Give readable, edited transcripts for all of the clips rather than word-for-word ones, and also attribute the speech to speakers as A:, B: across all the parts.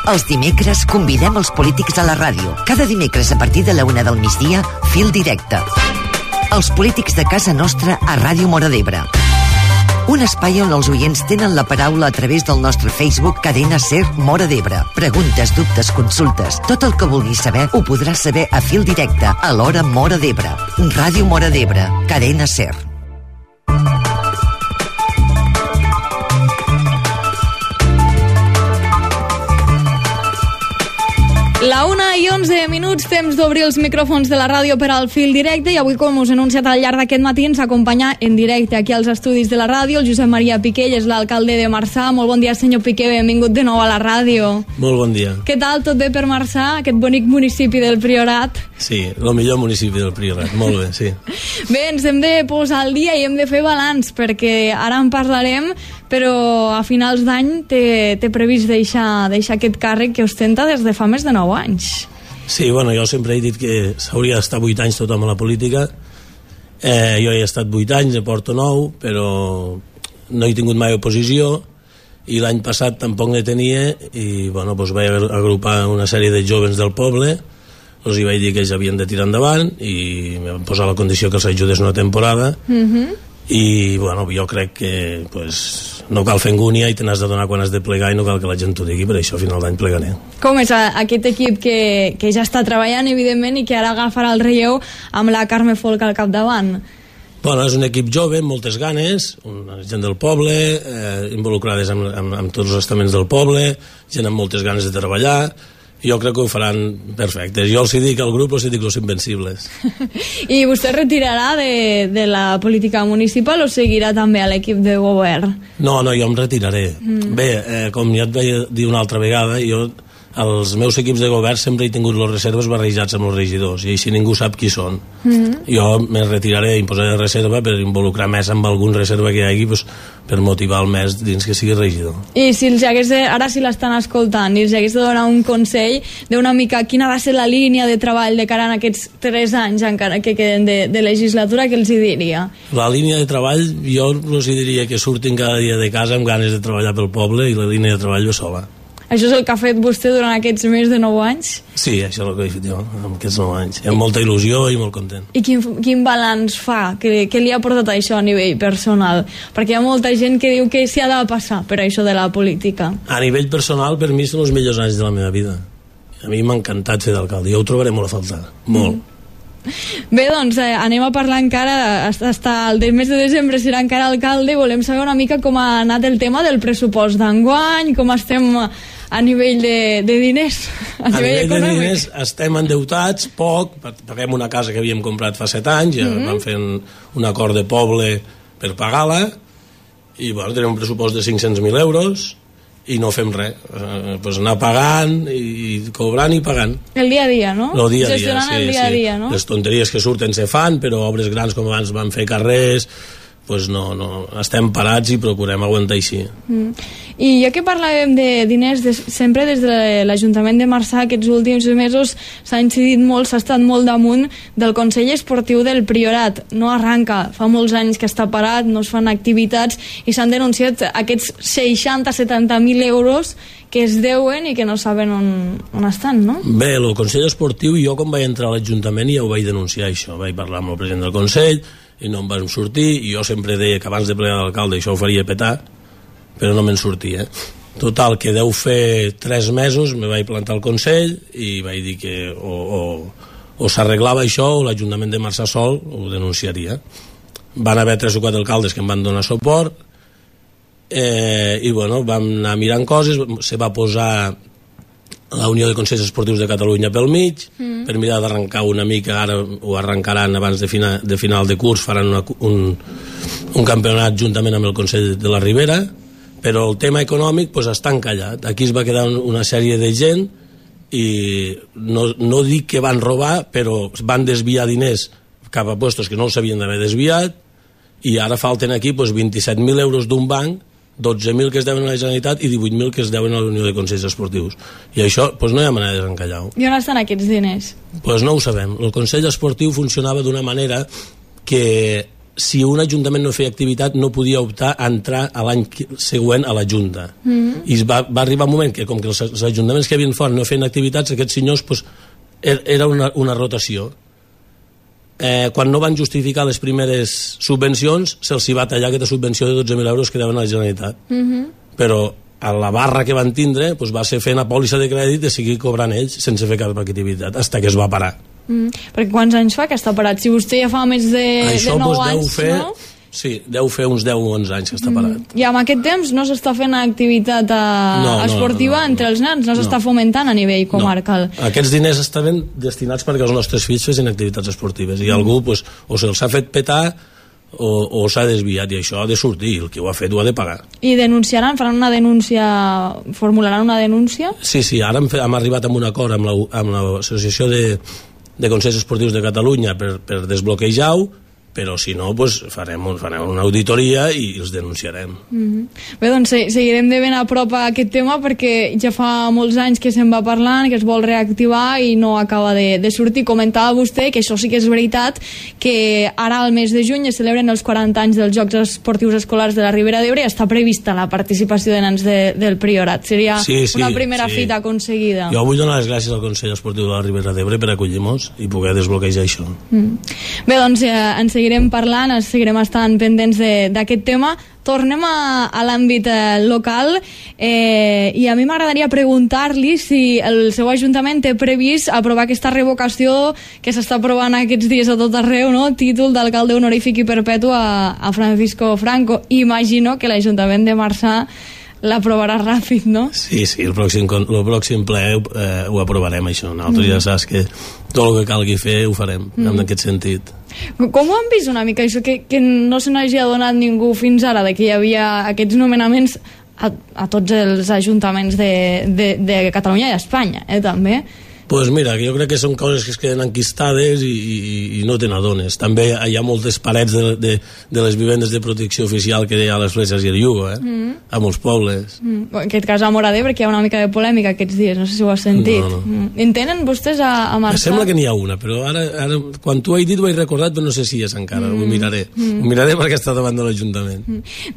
A: Els dimecres convidem els polítics a la ràdio. Cada dimecres a partir de la 1 del migdia, Fil Directe. Els polítics de casa nostra a Ràdio Móra d'Ebre. Un espai on els oients tenen la paraula a través del nostre Facebook Cadena SER Móra d'Ebre. Preguntes, dubtes, consultes, tot el que vulguis saber ho podràs saber a Fil Directe a l'hora Móra d'Ebre. Ràdio Móra d'Ebre, Cadena SER.
B: La 1:11, temps d'obrir els micròfons de la ràdio per al Fil Directe, i avui, com us he anunciat al llarg d'aquest matí, ens acompanya en directe aquí als estudis de la ràdio el Josep Maria Piqué, és l'alcalde de Marçà. Molt bon dia, senyor Piqué, benvingut de nou a la ràdio.
C: Molt bon dia.
B: Què tal, tot bé per Marçà, aquest bonic municipi del Priorat?
C: Sí, el millor municipi del Priorat, molt bé, sí.
B: Bé, ens hem de posar al dia i hem de fer balanç, perquè ara en parlarem, però a finals d'any té previst deixar aquest càrrec que ostenta des de fa més de 9 anys.
C: Sí, bueno, jo sempre he dit que s'hauria d'estar 8 anys tothom a la política. Jo he estat 8 anys, porto 9, però no he tingut mai oposició, i l'any passat tampoc ne tenia, i bueno, doncs vaig agrupar una sèrie de joves del poble, els hi vaig dir que ells havien de tirar endavant, i em van posar la condició que els ajudés una temporada, i bueno, jo crec que pues, no cal fer angúnia i te n'has de donar quan has de plegar, i no cal que la gent t'ho digui, per això a final d'any plegaré.
B: Com és aquest equip que ja està treballant, evidentment, i que ara agafarà el relleu amb la Carme Folk al capdavant?
C: Bueno, és un equip jove, amb moltes ganes, gent del poble, involucrades amb tots els estaments del poble, gent amb moltes ganes de treballar. Jo crec que ho faran perfectes. Jo els dic al grup, els dic los invencibles.
B: I vostè retirarà de la política municipal o seguirà també a l'equip de govern?
C: No, jo em retiraré. Bé, com ja et vaig dir una altra vegada, jo als meus equips de govern sempre he tingut les reserves barrejats amb els regidors, i així ningú sap qui són. Jo me retiraré i em posaré de reserva per involucrar més amb algun reserva que hi hagi, pues, per motivar el més dins que sigui regidor. I
B: si els hagués ara si l'estan escoltant i els hagués de donar un consell d'una mica quina va ser la línia de treball de cara a aquests 3 anys encara que queden de legislatura, què els hi diria? La
C: línia de treball, jo els diria que surtin cada dia de casa amb ganes de treballar pel poble, i la línia de treball va sola.
B: Això és el que ha fet vostè durant aquests més de 9 anys?
C: Sí, això és el que he fet jo, amb aquests 9 anys. Amb molta il·lusió i molt content.
B: I quin balanç fa? Què li ha portat això a nivell personal? Perquè hi ha molta gent que diu que s'hi ha de passar per això de la política.
C: A nivell personal, per mi són els millors anys de la meva vida. A mi m'ha encantat ser d'alcalde. Jo ho trobaré molt a faltar, molt.
B: Bé, doncs anem a parlar encara, el mes de desembre serà encara alcalde, i volem saber una mica com ha anat el tema del pressupost d'enguany, com estem a nivell de diners,
C: a nivell de diners estem endeutats, poc, paguem una casa que havíem comprat fa 7 anys, ja vam fer un acord de poble per pagar-la, i bueno, tenim un pressupost de 500.000 euros, i no fem res, pues anar pagant i cobrant i pagant.
B: El dia a dia, no?
C: El dia a dia,
B: gestionant el dia a dia, no?
C: Les tonteries que surten se fan, però obres grans com abans van fer carrers, pues no, estem parats i procurem aguantar així.
B: I ja que parlàvem de diners, sempre des de l'Ajuntament de Marçà aquests últims mesos s'ha incidit molt, s'ha estat molt damunt del Consell Esportiu del Priorat. No arranca, fa molts anys que està parat, no es fan activitats, i s'han denunciat aquests 60-70.000 euros que es deuen i que no saben on estan, no?
C: Bé, el Consell Esportiu, jo quan vaig entrar a l'Ajuntament ja ho vaig denunciar, això. Vaig parlar amb el president del Consell i no em van sortir, i jo sempre deia que abans de plegar d'alcalde això ho faria petar, però no me'n sortia. Total, que deu fer 3 mesos me vaig plantar al Consell i vaig dir que o s'arreglava això o l'Ajuntament de Marçà sol ho denunciaria. Van haver 3 o 4 alcaldes que em van donar suport, i bueno, vam anar mirant coses, se va posar la Unió de Consells Esportius de Catalunya pel mig, per mirar d'arrencar una mica, ara ho arrencaran abans de final de curs, faran un campionat juntament amb el Consell de la Ribera, però el tema econòmic pues, està encallat. Aquí es va quedar una sèrie de gent i no dic que van robar, però van desviar diners cap a puestos que no els havien d'haver desviat, i ara falten aquí pues, 27.000 euros d'un banc, 12.000 que es deuen a la Generalitat i 18.000 que es deuen a la Unió de Consells Esportius. I això pues, no hi ha manera de desencallar-ho.
B: I on estan aquests diners?
C: Pues no ho sabem. El Consell Esportiu funcionava d'una manera que si un ajuntament no feia activitat no podia optar a entrar a l'any següent a la Junta. I va arribar un moment que com que els ajuntaments que havien fora no feien activitats, aquests senyors pues, era una rotació. Quan no van justificar les primeres subvencions se'ls va tallar aquesta subvenció de 12.000 euros que deuen a la Generalitat. Però a la barra que van tindre pues, va ser fent una pòlissa de crèdit de seguir cobrant ells sense fer cap activitat, fins que es va parar.
B: Perquè quants anys fa que està parat? Si vostè ja fa més de 9 anys, no?
C: Sí, deu fer uns 10 o 11 anys que està parat.
B: I amb aquest temps no s'està fent activitat esportiva entre els nens, no s'està fomentant a nivell comarcal.
C: Aquests diners estaven destinats perquè els nostres fills fessin activitats esportives i algú pues, o se'ls ha fet petar o s'ha desviat, i això ha de sortir, el que ho ha fet ho ha de pagar.
B: I denunciaran, faran una denúncia, formularan una denúncia?
C: Sí, ara hem arribat a un acord amb l'Associació de Consells Esportius de Catalunya per desbloquejar-ho, però si no, pues, farem una auditoria i els denunciarem.
B: Bé, doncs seguirem de ben a prop a aquest tema perquè ja fa molts anys que se'n va parlant, que es vol reactivar i no acaba de sortir. Comentava vostè que això sí que és veritat, que ara al mes de juny es celebren els 40 anys dels Jocs Esportius Escolars de la Ribera d'Ebre i està prevista la participació de nens del Priorat. Seria una primera fita aconseguida.
C: Jo vull donar les gràcies al Consell Esportiu de la Ribera d'Ebre per acollir-nos i poder desbloquejar això.
B: Bé, doncs ens seguirem parlant, seguirem estant pendents d'aquest tema. Tornem a l'àmbit local i a mi m'agradaria preguntar-li si el seu ajuntament té previst aprovar aquesta revocació que s'està aprovant aquests dies a tot arreu, no? Títol d'alcalde honorífic i perpetu a Francisco Franco. Imagino que l'Ajuntament de Marçà l'aprovarà ràpid, no?
C: Sí, el pròxim ple ho aprovarem, això. Nosaltres ja saps que tot el que calgui fer ho farem, en aquest sentit.
B: Com ho han vist una mica, això que no se n'hagi adonat ningú fins ara, de que hi havia aquests nomenaments a tots els ajuntaments de Catalunya i d'Espanya, també?
C: Pues mira, jo crec que són coses que es queden enquistades i no te n'adones. També hi ha moltes parets de les vivendes de protecció oficial que hi ha a les Fletxes i el Llugo, a molts pobles.
B: En aquest cas a Móra d'Ebre, que hi ha una mica de polèmica aquests dies, no sé si ho has sentit.
C: No.
B: En tenen vostès a Marçà?
C: Em sembla que n'hi ha una, però ara quan tu ho he dit ho he recordat, però no sé si és encara, ho miraré. Ho miraré perquè està davant de l'Ajuntament.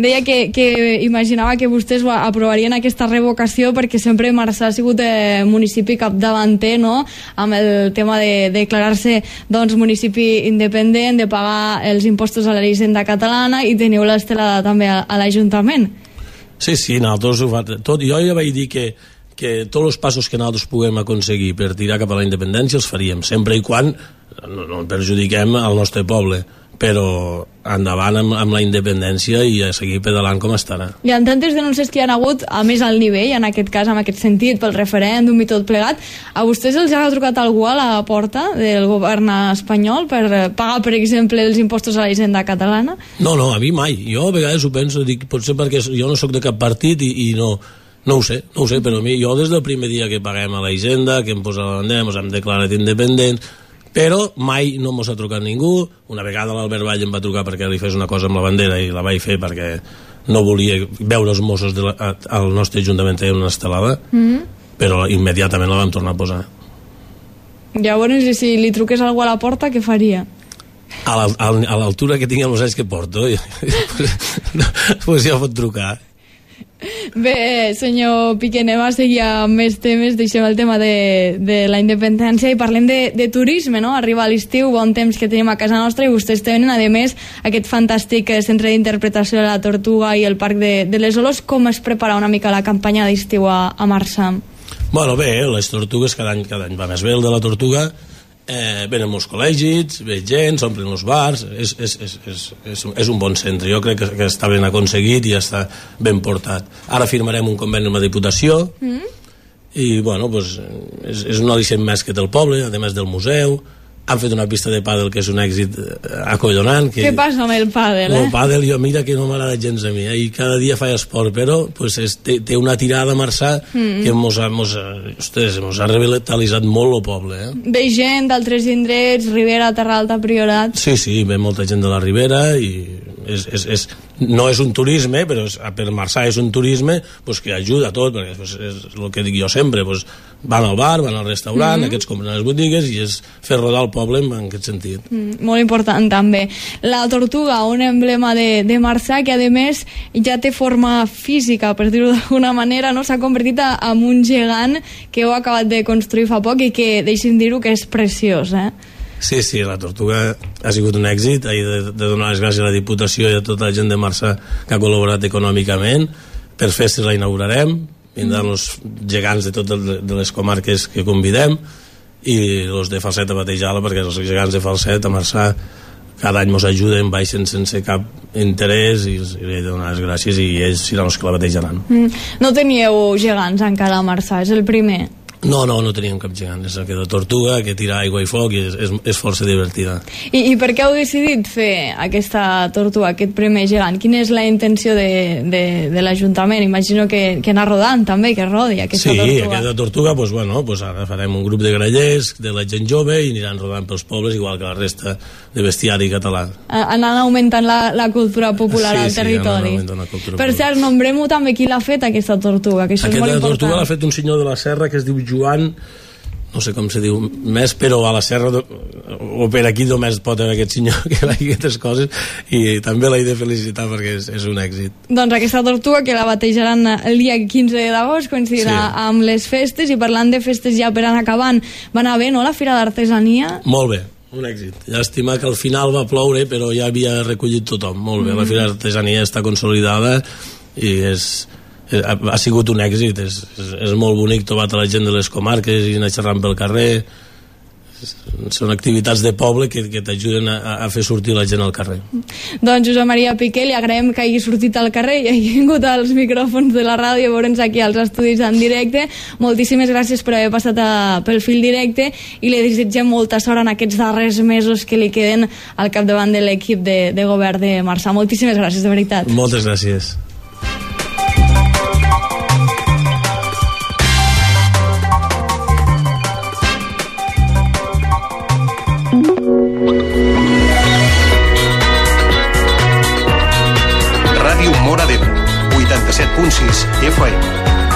B: Deia que imaginava que vostès aprovarien aquesta revocació perquè sempre Marçà ha sigut municipi capdavanter, no? Amb el tema de declarar-se doncs, municipi independent, de pagar els impostos a la Hisenda catalana, i teniu l'estelada també a l'Ajuntament.
C: Sí, nosaltres ho fa tot. Jo ja vaig dir que tots els passos que nosaltres puguem aconseguir per tirar cap a la independència els faríem, sempre i quan no perjudiquem al nostre poble, però endavant amb la independència i a seguir pedalant com estarà.
B: I en tantes denúncies que hi ha hagut, a més al nivell, en aquest cas, en aquest sentit, pel referèndum i tot plegat, a vostès els ha trucat algú a la porta del govern espanyol per pagar, per exemple, els impostos a la Hisenda catalana?
C: No, a mi mai. Jo a vegades ho penso, dic, potser perquè jo no sóc de cap partit i no ho sé, però jo des del primer dia que paguem a la Hisenda, que hem posat la bandera, ens hem declarat independents, però mai no mos ha trucat ningú. Una vegada l'Albert Vall em va trucar perquè li fes una cosa amb la bandera i la vaig fer perquè no volia veure els Mossos al nostre Ajuntament tenir una estelada, però immediatament la vam tornar a posar.
B: Llavors, si li truqués algú a la porta, què faria?
C: A l'altura que tinc els anys que porto pues ja pot trucar.
B: Bé, senyor Piqué, anem a seguir amb més temes. Deixem el tema de la independència i parlem de turisme, no? Arriba l'estiu, bon temps que tenim a casa nostra, i vostès tenen, a més, aquest fantàstic centre d'interpretació de la Tortuga i el Parc de les Olors. Com es prepara una mica la campanya d'estiu a Marçà?
C: Bueno, bé, les tortugues cada any va més bé. El de la Tortuga venen molts col·legis, ve gent, s'omplen els bars, és un bon centre. Jo crec que està ben aconseguit i està ben portat. Ara firmarem un conveni amb la Diputació i bueno, pues, és un al·licient més que té el poble, a més del museu. Han fet una pista de pàdel que és un èxit acollonant.
B: Què passa amb el pàdel?
C: El pàdel, mira que no m'agrada gens a mi, i cada dia faig esport, però pues, té una tirada a Marçà que mos ha revitalitzat molt el poble.
B: Ve gent d'altres indrets, Ribera, Terra Alta, Priorat...
C: Sí, ve molta gent de la Ribera i no és un turisme, però per Marçà és un turisme pues, que ajuda a tot, perquè pues, és el que dic jo sempre, pues, van al bar, van al restaurant, aquests compren a les botigues i és fer rodar el poble en aquest sentit.
B: Molt important també. La tortuga, un emblema de Marçà que a més ja té forma física, per dir-ho d'alguna manera, no? S'ha convertit en un gegant que heu acabat de construir fa poc i que, deixin dir-ho, que és preciós,
C: Sí, la tortuga ha sigut un èxit. He de donar les gràcies a la Diputació i a tota la gent de Marçà que ha col·laborat econòmicament. Per festes la inaugurarem, vindran els gegants de totes les comarques que convidem i els de Falset a batejar-la, perquè els gegants de Falset a Marçà cada any ens ajuden, baixen sense cap interès i he de donar les gràcies i ells seran els que la batejaran.
B: No teníeu gegants encara a Marçà, és el primer?
C: No teníem cap gegant, és aquella tortuga que tira aigua i foc i és força divertida.
B: I per què heu decidit fer aquesta tortuga, aquest primer gegant? Quina és la intenció de l'Ajuntament? Imagino que anar rodant també, que rodi aquesta tortuga.
C: Sí, aquesta tortuga, ara farem un grup de grallers, de la gent jove, i aniran rodant pels pobles, igual que la resta de bestiari català.
B: Anant augmentant la cultura popular al territori. Per cert, nombrem-ho també qui l'ha fet, aquesta tortuga, que això és molt important.
C: Aquesta tortuga l'ha fet un senyor de la Serra que es diu Joan, no sé com se diu més, però a la Serra o per aquí només pot haver aquest senyor que fa aquestes coses i també l'he de felicitar perquè és un èxit.
B: Doncs aquesta tortuga que la batejaran el dia 15 d'agost coincidirà amb les festes, i parlant de festes ja per anar acabant, va anar bé, no, la Fira d'Artesania?
C: Molt bé, un èxit. Llàstima que al final va ploure, però ja havia recollit tothom, molt bé. La Fira d'Artesania està consolidada i ha sigut un èxit, és molt bonic trobar la gent de les comarques i anar xerrant pel carrer. Són activitats de poble que t'ajuden a fer sortir la gent al carrer.
B: Doncs Josep Maria Piqué, li agraïm que hagi sortit al carrer i hagi vingut als micròfons de la ràdio a veure'ns aquí als estudis en directe. Moltíssimes gràcies per haver passat pel fil directe i li desitgem molta sort en aquests darrers mesos que li queden al capdavant de l'equip de govern de Marçà. Moltíssimes gràcies, de veritat.
C: Moltes gràcies.
D: Ràdio Móra d'Ebre, 87.6 FM.